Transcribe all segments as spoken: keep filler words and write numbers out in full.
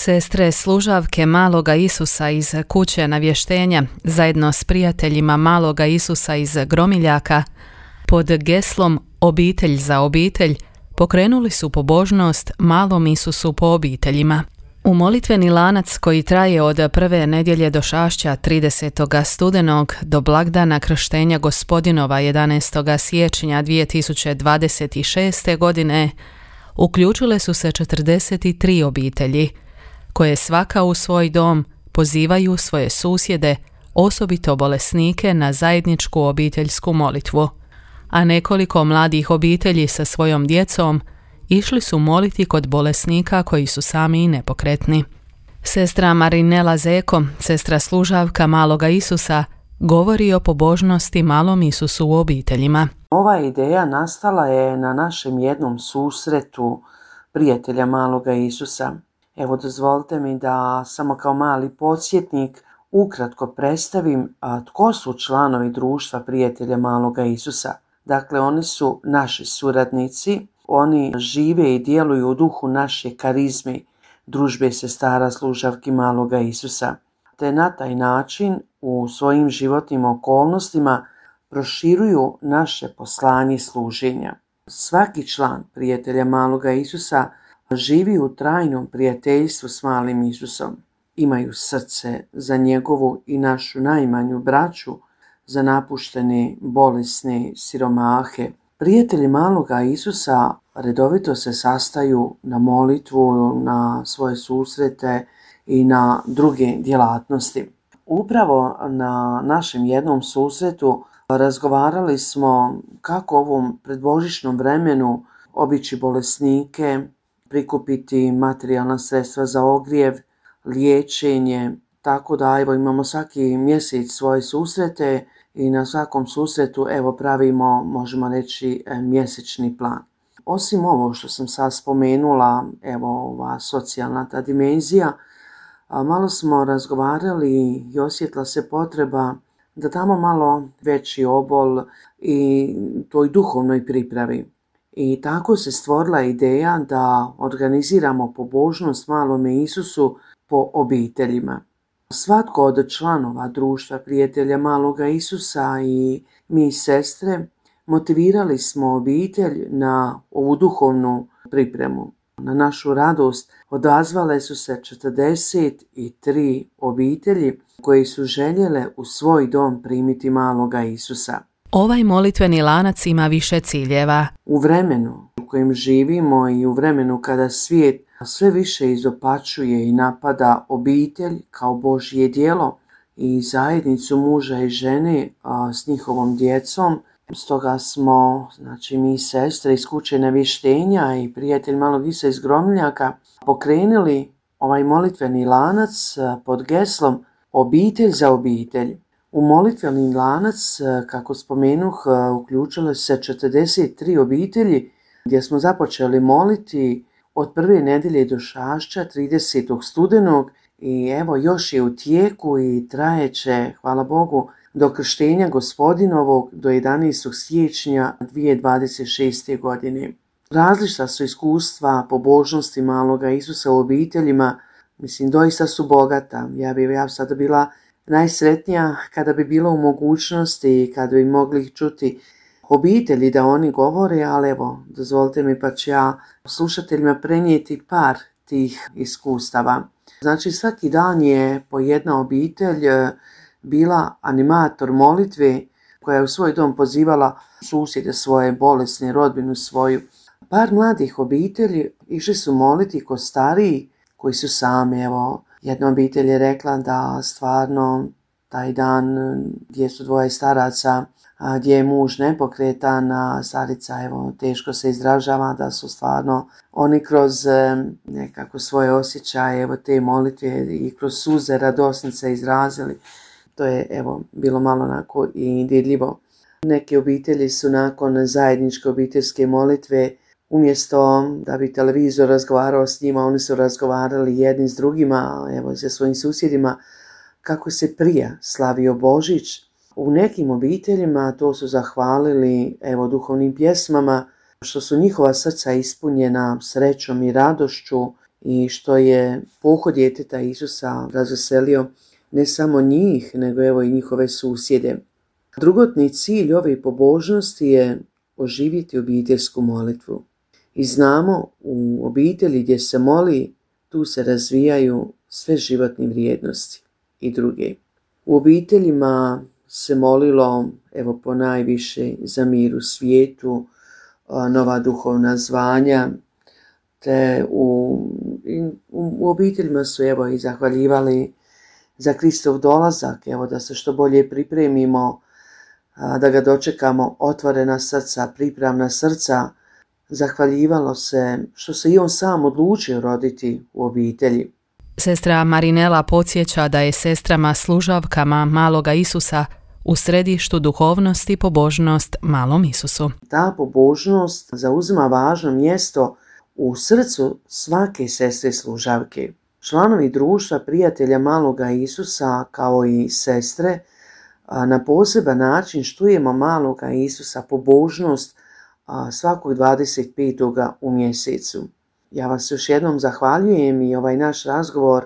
Sestre služavke Maloga Isusa iz kuće navještenja zajedno s prijateljima Maloga Isusa iz Gromiljaka pod geslom Obitelj za obitelj pokrenuli su pobožnost Malom Isusu po obiteljima. U molitveni lanac koji traje od prve nedjelje došašća tridesetog studenog do blagdana krštenja Gospodinova jedanaestog siječnja dvije tisuće dvadeset šeste. godine uključile su se četrdeset tri obitelji, koje svaka u svoj dom pozivaju svoje susjede, osobito bolesnike, na zajedničku obiteljsku molitvu, a nekoliko mladih obitelji sa svojom djecom išli su moliti kod bolesnika koji su sami i nepokretni. Sestra Marinela Zeko, sestra služavka Maloga Isusa, govori o pobožnosti Malom Isusu u obiteljima. Ova ideja nastala je na našem jednom susretu prijatelja Maloga Isusa. Evo, dozvolite mi da samo kao mali podsjetnik ukratko predstavim a, tko su članovi društva prijatelja Maloga Isusa. Dakle, oni su naši suradnici, oni žive i djeluju u duhu naše karizme, družbe sestara služavki Maloga Isusa, te na taj način u svojim životnim okolnostima proširuju naše poslanje služenja. Svaki član prijatelja Maloga Isusa živi u trajnom prijateljstvu s Malim Isusom. Imaju srce za njegovu i našu najmanju braću, za napuštene, bolesne, siromahe. Prijatelji Maloga Isusa redovito se sastaju na molitvu, na svoje susrete i na druge djelatnosti. Upravo na našem jednom susretu razgovarali smo kako u ovom predbožićnom vremenu obići bolesnike, prikupiti materijalna sredstva za ogrijev, liječenje, tako da evo imamo svaki mjesec svoje susrete i na svakom susretu evo pravimo, možemo reći, mjesečni plan. Osim ovo što sam sad spomenula, evo ova socijalna ta dimenzija, malo smo razgovarali i osjetila se potreba da damo malo veći obol i toj duhovnoj pripravi. I tako se stvorila ideja da organiziramo pobožnost Malome Isusu po obiteljima. Svatko od članova društva prijatelja Maloga Isusa i mi sestre motivirali smo obitelj na ovu duhovnu pripremu. Na našu radost odazvale su se četrdeset tri obitelji koji su željele u svoj dom primiti Maloga Isusa. Ovaj molitveni lanac ima više ciljeva. U vremenu u kojem živimo i u vremenu kada svijet sve više izopačuje i napada obitelj kao Božje djelo i zajednicu muža i žene a, s njihovom djecom, stoga smo, znači mi sestre iz kuće navještenja i prijatelj Malog Isusa iz Gromiljaka, pokrenuli ovaj molitveni lanac pod geslom Obitelj za obitelj. U molitveni lanac, kako spomenuh, uključile se četrdeset tri obitelji gdje smo započeli moliti od prve nedjelje došašća tridesetog studenog i evo još je u tijeku i trajeće, hvala Bogu, do krštenja Gospodinovog do jedanaestog siječnja dvije tisuće dvadeset šeste. godine. Različita su iskustva pobožnosti Maloga Isusa u obiteljima, mislim doista su bogata. Ja bi ja sada bila najsretnija kada bi bilo u mogućnosti i kada bi mogli čuti obitelji da oni govore, ali evo, dozvolite mi pa ću ja slušateljima prenijeti par tih iskustava. Znači svaki dan je po jedna obitelj bila animator molitve koja je u svoj dom pozivala susjede svoje, bolesne, rodbinu svoju. Par mladih obitelji išli su moliti kod stariji koji su sami. Evo, jedna obitelj je rekla da stvarno taj dan gdje su dvoje staraca, a gdje je muž nepokretan, a starica evo, teško se izražava, da su stvarno oni kroz nekako svoje osjećaje evo, te molitve i kroz suze radosnice izrazili. To je evo, bilo malo onako i dirljivo. Neke obitelji su nakon zajedničke obiteljske molitve, umjesto da bi televizor razgovarao s njima, oni su razgovarali jedni s drugima, evo, sa svojim susjedima, kako se prije slavio Božić. U nekim obiteljima to su zahvalili evo, duhovnim pjesmama, što su njihova srca ispunjena srećom i radošću i što je pohod djeteta Isusa razveselio ne samo njih, nego evo i njihove susjede. Drugotni cilj ove pobožnosti je oživjeti obiteljsku molitvu. I znamo, u obitelji gdje se moli, tu se razvijaju sve životne vrijednosti i druge. U obiteljima se molilo, evo ponajviše, za mir u svijetu, nova duhovna zvanja, te u, u, u obiteljima su evo i zahvaljivali za Kristov dolazak, evo da se što bolje pripremimo, da ga dočekamo, otvorena srca, pripravna srca. Zahvaljivalo se što se i on sam odlučio roditi u obitelji. Sestra Marinela podsjeća da je sestrama služavkama maloga Isusa u središtu duhovnosti i pobožnost malom Isusu. Ta pobožnost zauzima važno mjesto u srcu svake sestre služavke. Članovi društva prijatelja maloga Isusa kao i sestre na poseban način štujemo maloga Isusa, pobožnost svakog dvadeset petog u mjesecu. Ja vas još jednom zahvaljujem i ovaj naš razgovor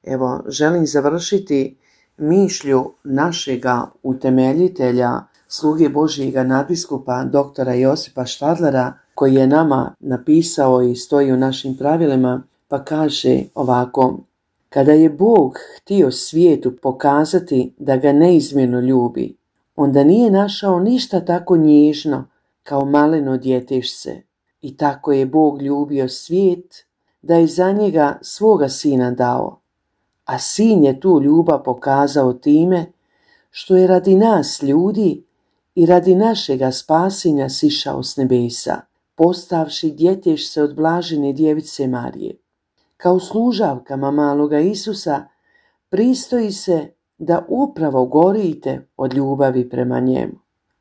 evo želim završiti mišlju našega utemeljitelja, sluge Božjega nadbiskupa doktora Josipa Štadlera, koji je nama napisao i stoji u našim pravilima, pa kaže ovako: kada je Bog htio svijetu pokazati da ga neizmjerno ljubi, onda nije našao ništa tako nježno kao maleno djetešce. I tako je Bog ljubio svijet da je za njega svoga sina dao. A sin je tu ljubav pokazao time što je radi nas ljudi i radi našega spasenja sišao s nebesa, postavši djetešce od blažene djevice Marije. Kao služavkama maloga Isusa pristoji se da upravo gorite od ljubavi prema njemu.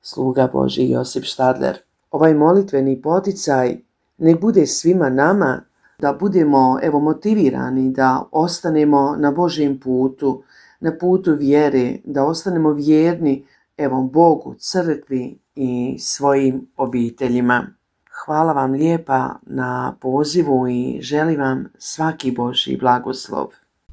Sluga Božji Josip Štadler. Ovaj molitveni poticaj nek bude svima nama da budemo evo motivirani da ostanemo na Božjem putu, na putu vjere, da ostanemo vjerni evo Bogu, crkvi i svojim obiteljima. Hvala vam lijepa na pozivu i želim vam svaki Božji blagoslov.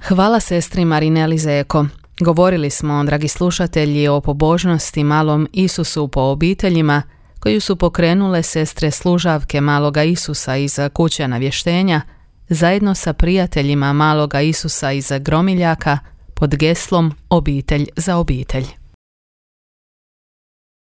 Hvala sestri Marineli Zeko. Govorili smo, dragi slušatelji, o pobožnosti malom Isusu po obiteljima koju su pokrenule sestre služavke maloga Isusa iz kuće navještenja zajedno sa prijateljima maloga Isusa iz Gromiljaka pod geslom Obitelj za obitelj.